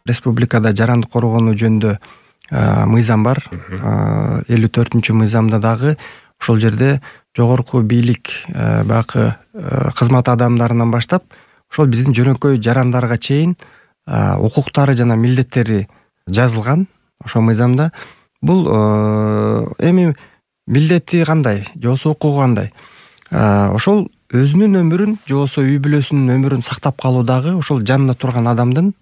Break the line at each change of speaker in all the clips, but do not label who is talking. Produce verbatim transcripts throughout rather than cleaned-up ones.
республикада жарандык коргонуу жөнүндө мыйзам бар. элүү төртүнчү мыйзамда дагы ошол жерде жогорку бийлик баягы кызмат адамдарынан баштап ошол биздин жөнөкөй жарандарга чейин укуктары жана милдеттери жазылган ошол мыйзамда. Бул эми милдети кандай же болбосо укугу кандай? Ошол өзүнүн өмүрүн же болбосо үй бүлөсүнүн өмүрүн сактап калуу дагы ошол жанында турган адамдын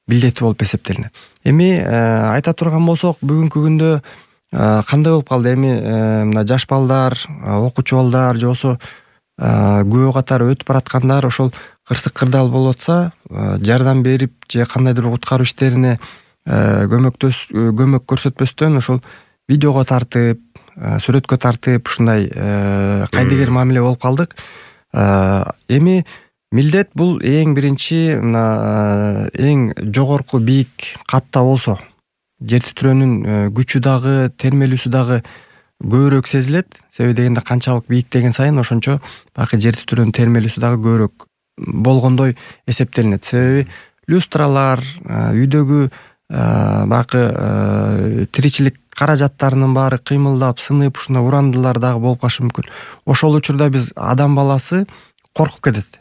милдети болуп эсептелинет. Эми айта турган болсок, бүгүнкү күндө кандай болуп калды? Эми мына жаш балдар, окуучу балдар же болбосо күбө катары өтүп бараткандар ошол кырсык кырдаал болуп атса, жардам берип же кандайдыр куткаруу иштерине көмөктөс көмөк көрсөтпөстөн ошол видеого тартып, сүрөткө тартып ушундай кайдыгер мамиле болуп калдык. Эми милдет бул эң биринчи мына эң жогорку бийик катта болсо, жер титирөөнүн күчү дагы, термелүүсү дагы көбүрөөк сезилет. Себеби дегенде канчалык бийиктеген сайын ошончо баягы жер титирөөнүн термелүүсү дагы көбүрөөк болгондой эсептелинет. Себеби люстралар, үйдөгү баягы тиричилик каражаттарынын баары кыймылдап, сынып, ушундай урандылар дагы болуп калышы мүмкүн. Ошол учурда биз адам баласы коркуп кетет.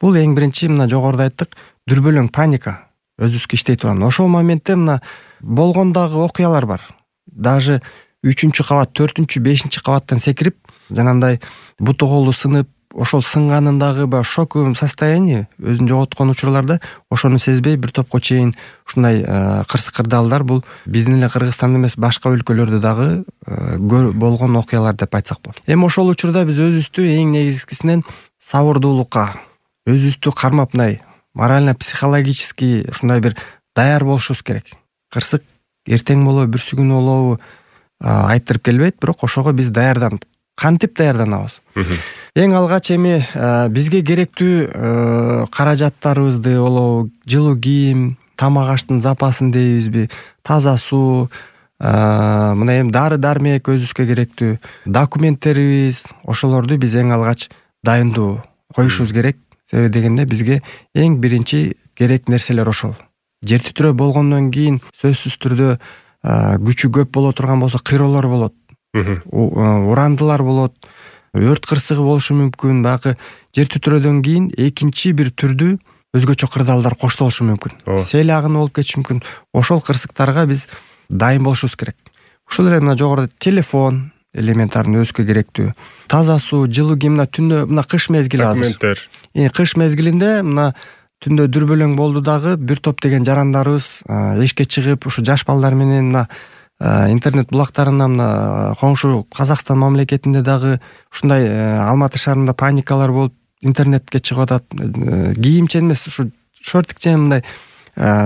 Бул эң биринчи мына жогоруда айттык, дүрбөлөң паника өзүбүзгө иштей турган. Ошол моментте мына болгондагы окуялар бар. Даже үчүнчү кабат, төртүнчү, бешинчи кабаттан секирип, жанагындай буту колу сынып, ошол сынгандагы баягы шоковый состояние өзүн жоготкон учурларда ошону сезбей бир топко чейин ушундай кырсык кырдаалдар бул биздин эле Кыргызстанда эмес, башка өлкөлөрдө дагы болгон окуялар деп айтсак болот. Эми ошол учурда биз өзүбүздү эң негизгисинен сабырдуулукка, өзүбүздү кармап, мындай морально-психологический ушундай бир даяр болушубуз керек. Кырсык эртең болобу, бүрсү күнү болобу айттырып келбейт, бирок ошого биз даярданып, кантип даярданабыз? Эң алгач эми бизге керектүү каражаттарыбызды болобу, жылуу кийим, тамак аштын запасын дейбизби, таза суу, мына эми дары-дармек өзүбүзгө керектүү документтерибиз, ошолорду биз эң алгач дайындоо коюшубуз керек. Себеби дегенде бизге эң биринчи керек нерселер ошол. Жер титирөө болгондон кийин сөзсүз түрдө күчү көп боло турган болсо кыйроолор болот, урандылар болот, өрт кырсыгы болушу мүмкүн. Баягы жер титирөөдөн кийин экинчи бир түрдүү өзгөчө кырдаалдар коштолушу мүмкүн. Сел агыны болуп кетиши мүмкүн. Ошол кырсыктарга биз дайын болушубуз керек. Ушул эле мына жогоруда телефон элементарный өзгө керектүү, таза суу, жылуу кийим. Мына түндө мына кыш мезгили азыр. Кыш мезгилинде мына түндө дүрбөлөң болду дагы бир топ деген жарандарыбыз эшикке чыгып, ушу жаш балдар менен мына интернет булактарында, мына коңшу Казакстан мамлекетинде дагы ушундай Алматы шаарында паникалар болуп, интернетке чыгып атат. Кийимчен эмес, ушу шортикчен мындай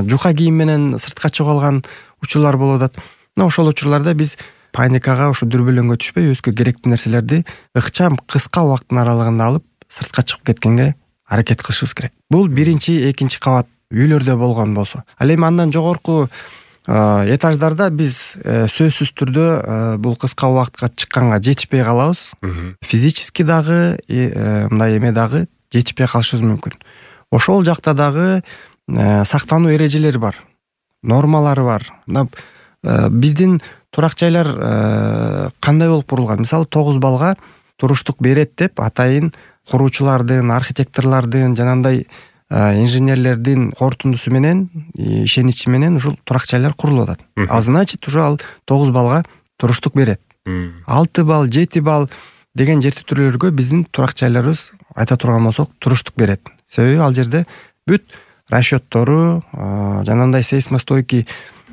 жука кийим менен сыртка чыгып алган учурлар болуп атат. Мына ошол учурларда биз паникага, ушу дүрбөлөңгө түшпөй, өзгө керектүү нерселерди ыкчам кыска убакыттын аралыгында алып сыртка чыгып кеткенге аракет кылышыбыз керек. Бул биринчи, экинчи кабат үйлөрдө болгон болсо. Ал эми андан жогорку этаждарда биз сөзсүз түрдө бул кыска убакытка чыкканга жетишпей калабыз. Физически дагы мындай эме дагы жетишпей калышыбыз мүмкүн. Ошол жакта дагы сактануу эрежелери бар, нормалары бар. Биздин турак жайлар кандай болуп курулган? Мисалы, тогуз балга туруштук берет деп атайын куруучулардын, архитекторлордун, жанагындай инженерлердин кортундусу менен, ишеничи менен ушул турак жайлар курулуп атат. А значит, уже ал тогуз балга туруштук берет. алты бал, жети бал деген жер титирөөлөргө биздин турак жайларыбыз, айта турган болсок, туруштук берет. Себеби ал жерде бүт расчеттору, жанагындай сейсмостойкий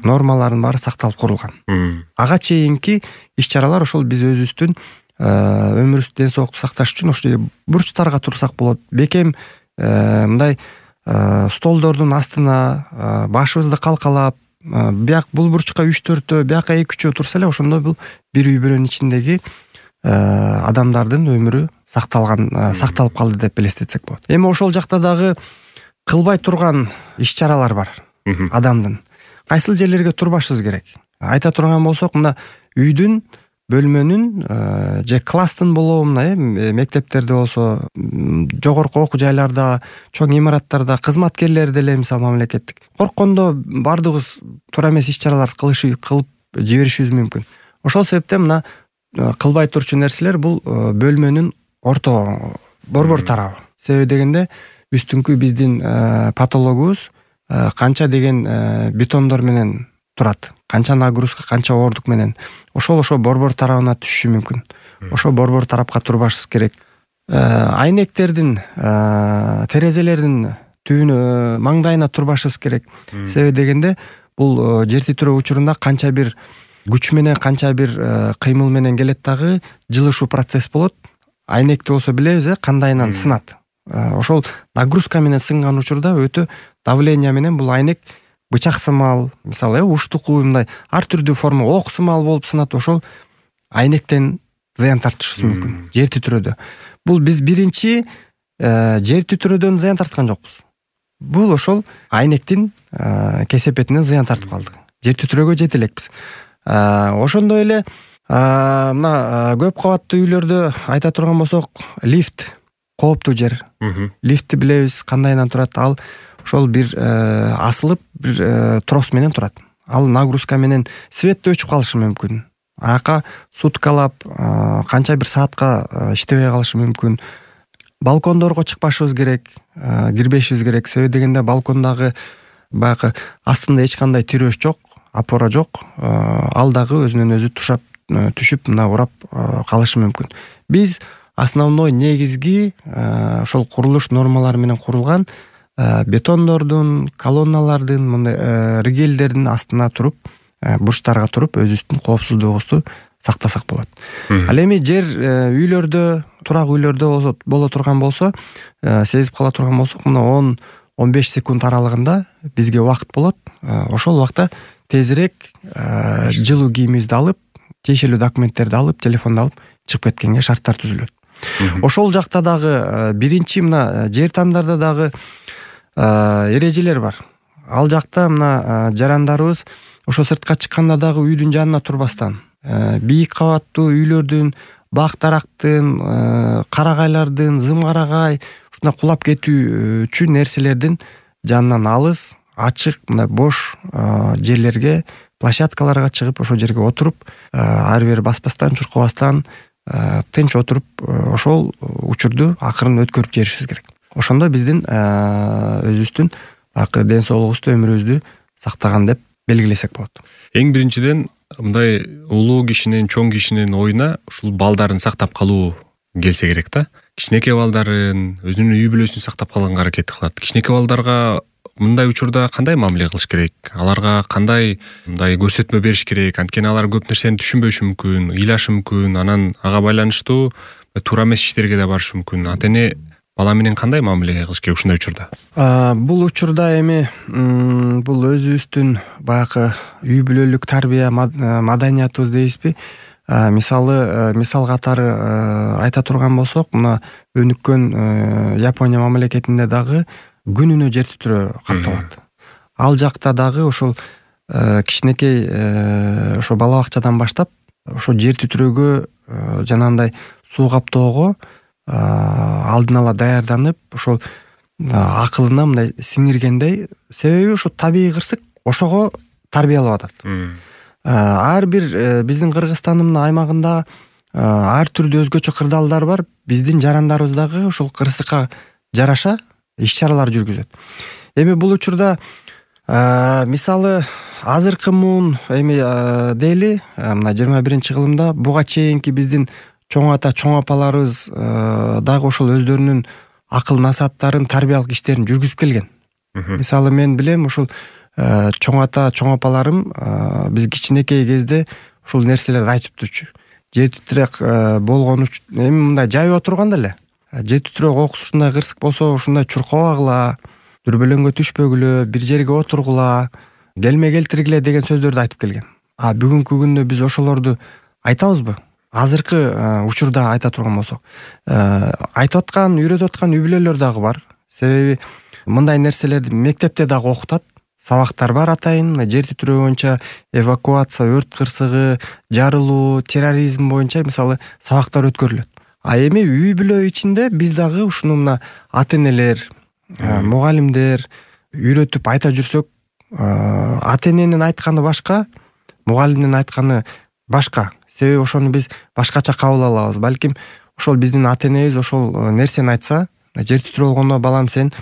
нормалардын баары сакталып курулган. Ага чейинки иш-чаралар ошол биз өзүбүздүн өмүрүбүздү, ден соолукту сакташ үчүн ошол бурчтарга турсак болот. Бекем мындай столдордун астына башыбызды калкалап, бияк бул бурчка үч төртөө, бияка эки үчөө турса эле, ошондо бул бир үй бүлөнүн ичиндеги адамдардын өмүрү сакталган, сакталып калды деп элестетсек болот. Эми ошол жакта дагы кылбай турган иш-чаралар бар адамдын. Кайсыл жерлерге турбашыбыз керек? Айта турган болсок, мына үйдүн бөлмөнүн же класстын болобу мына э мектептерде болсо, жогорку окуу жайларда, чоң имараттарда кызматкерлер деле мисалы мамлекеттик корккондо баардыгыбыз туура эмес иш-чараларды кылышы кылып жиберишибиз мүмкүн. Ошол себептен мына кылбай турчу нерселер бул бөлмөнүн орто борбор тарабы. Себеби дегенде үстүңкү биздин патологубуз канча деген бетондор менен турат, канча нагрузка, канча оордук менен ошол ошо борбор тарабына түшүшү мүмкүн. Ошо борбор тарапка турбашыбыз керек. Айнектердин, терезелердин түбүнө, маңдайына турбашыбыз керек. Себеби дегенде бул жер титирөө учурунда канча бир күч менен, канча бир кыймыл менен келет дагы жылышуу процесс болот. Айнекти болсо билебиз э кандайынан сынат. Ошол нагрузка менен сынган учурда өтө давление менен бул айнек бычак сымал, мисалы э уштуку мындай ар түрдүү форма ок сымал болуп сынат. Ошол айнектен зыян тартышыбыз мүмкүн жер титирөөдө. Бул биз биринчи жер титирөөдөн зыян тарткан жокпуз. Бул ошол айнектин кесепетинен зыян тартып калдык. Жер титирөөгө жете элекпиз. Ошондой эле мына көп кабаттуу үйлөрдө айта турган болсок, лифт кооптуу жер. Лифтти билебиз кандайынан турат. Ал ошол бир асылып, бир трос менен турат. Ал нагрузка менен светти өчүп калышы мүмкүн. Аяка суткалап, канча бир саатка иштебей калышы мүмкүн. Балкондорго чыкпашыбыз керек, кирбешибиз керек. Себеби дегенде балкондагы баягы астында эч кандай тирөөч жок, опора жок. Ал дагы өзүнөн өзү тушап, түшүп, мына урап калышы мүмкүн. Биз основной негизги ошол курулуш нормалары менен курулган бетондордун, колонналардын, мындай ригелдердин астына туруп, бурчтарга туруп, өзүбүздүн коопсуздугубузду сактасак болот. Ал эми жер үйлөрдө, турак үйлөрдө боло турган болсо, сезип кала турган болсок, мына он он беш секунд аралыгында бизге убакыт болот. Ошол убакта тезирээк жылуу кийимибизди алып, тиешелүү документтерди алып, телефонду алып чыгып кеткенге шарттар түзүлөт. Ошол жакта дагы биринчи мына жер тамдарда дагы эрежелер бар. Ал жакта мына жарандарыбыз ошо сыртка чыкканда дагы үйдүн жанына турбастан, бийик кабаттуу үйлөрдүн, бак дарактын, карагайлардын, зым-карагай ушундай кулап кетүү үчүн нерселердин жанынан алыс, ачык, мындай бош жерлерге, площадкаларга чыгып, ошол жерге отуруп, ары бери баспастан, чуркабастан, тынч отуруп, ошол учурду акырын өткөрүп жиберишибиз керек. Ошондо биздин өзүбүздүн акы ден соолугубузду, өмүрүбүздү сактаган деп белгилесек болот.
Эң биринчиден мындай улуу кишинин, чоң кишинин оюна ушул балдарын сактап калуу келсе керек да. Кичинекей балдарын, өзүнүн үй бүлөсүн сактап калганга аракет кылат. Кичинекей балдарга мындай учурда кандай мамиле кылыш керек? Аларга кандай мындай көрсөтмө бериш керек? Анткени алар көп нерсени түшүнбөшү мүмкүн, ыйлашы мүмкүн, анан ага байланыштуу туура эмес иштерге да барышы мүмкүн. Ата-эне бала менен кандай мамиле кылыш керек ушундай учурда?
Бул учурда эми бул өзүбүздүн баягы үй бүлөлүк тарбия маданиятыбыз дейбизби? Мисалы, мисал катары айта турган болсок, мына өнүккөн Япония мамлекетинде дагы күнүнө жер титирөө катталат. Ал жакта дагы ошол кичинекей ошо бала бакчадан баштап ошо жер титирөөгө жанагындай суу каптоого алдын ала даярданып, ошол акылына мындай сиңиргендей, себеби ошо табигый кырсык ошого тарбиялап атат. Ар бир биздин Кыргызстандын аймагында ар түрдүү өзгөчө кырдаалдар бар. Биздин жарандарыбыз дагы ошол кырсыкка жараша иш-чаралар жүргүзөт. Эми бул учурда мисалы азыркы муун эми дейли, мына жыйырма биринчи кылымда буга чейинки биздин чоң ата, чоң апаларыбыз дагы ошол өздөрүнүн акыл насааттарын, тарбиялык иштерин жүргүзүп келген. Мисалы мен билем, ошол чоң ата, чоң апаларым биз кичинекей кезде ушул нерселерди айтып турчу. Жер титирөө болгон үчүн эми мындай жайып отурганда эле, жер титирөө кокусу ушундай кырсык болсо, ушундай чуркабагыла, дүрбөлөңгө түшпөгүлө, бир жерге отургула, келме келтиргиле деген сөздөрдү айтып келген. А бүгүнкү күндө биз ошолорду айтабызбы? Азыркы учурда айта турган болсок, айтып аткан, үйрөтүп аткан үй бүлөлөр дагы бар. Себеби мындай нерселерди мектепте дагы окутат. сабактар бар атайын. Мына жер титирөө боюнча эвакуация, өрт кырсыгы, жарылуу, терроризм боюнча мисалы сабактар өткөрүлөт. А эми үй бүлө ичинде биз дагы ушуну мына ата-энелер, мугалимдер үйрөтүп айта жүрсөк, ата-эненин айтканы башка, мугалимдин айтканы башка. Себеби ошону биз башкача кабыл алабыз. Балким ошол биздин ата-энебиз ошол нерсени айтса, жер титирөө болгондо балам сен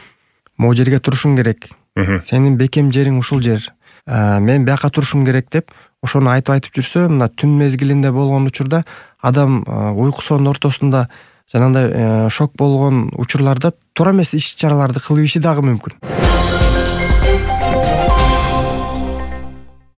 могу жерге турушуң керек. Сенин бекем жериң ушул жер. Мен бияка турушум керек деп ошону айтып айтып жүрсө, мына түн мезгилинде болгон учурда адам уйкусунун ортосунда жанагындай шок болгон учурларда туура эмес иш чараларды кылып иши дагы мүмкүн.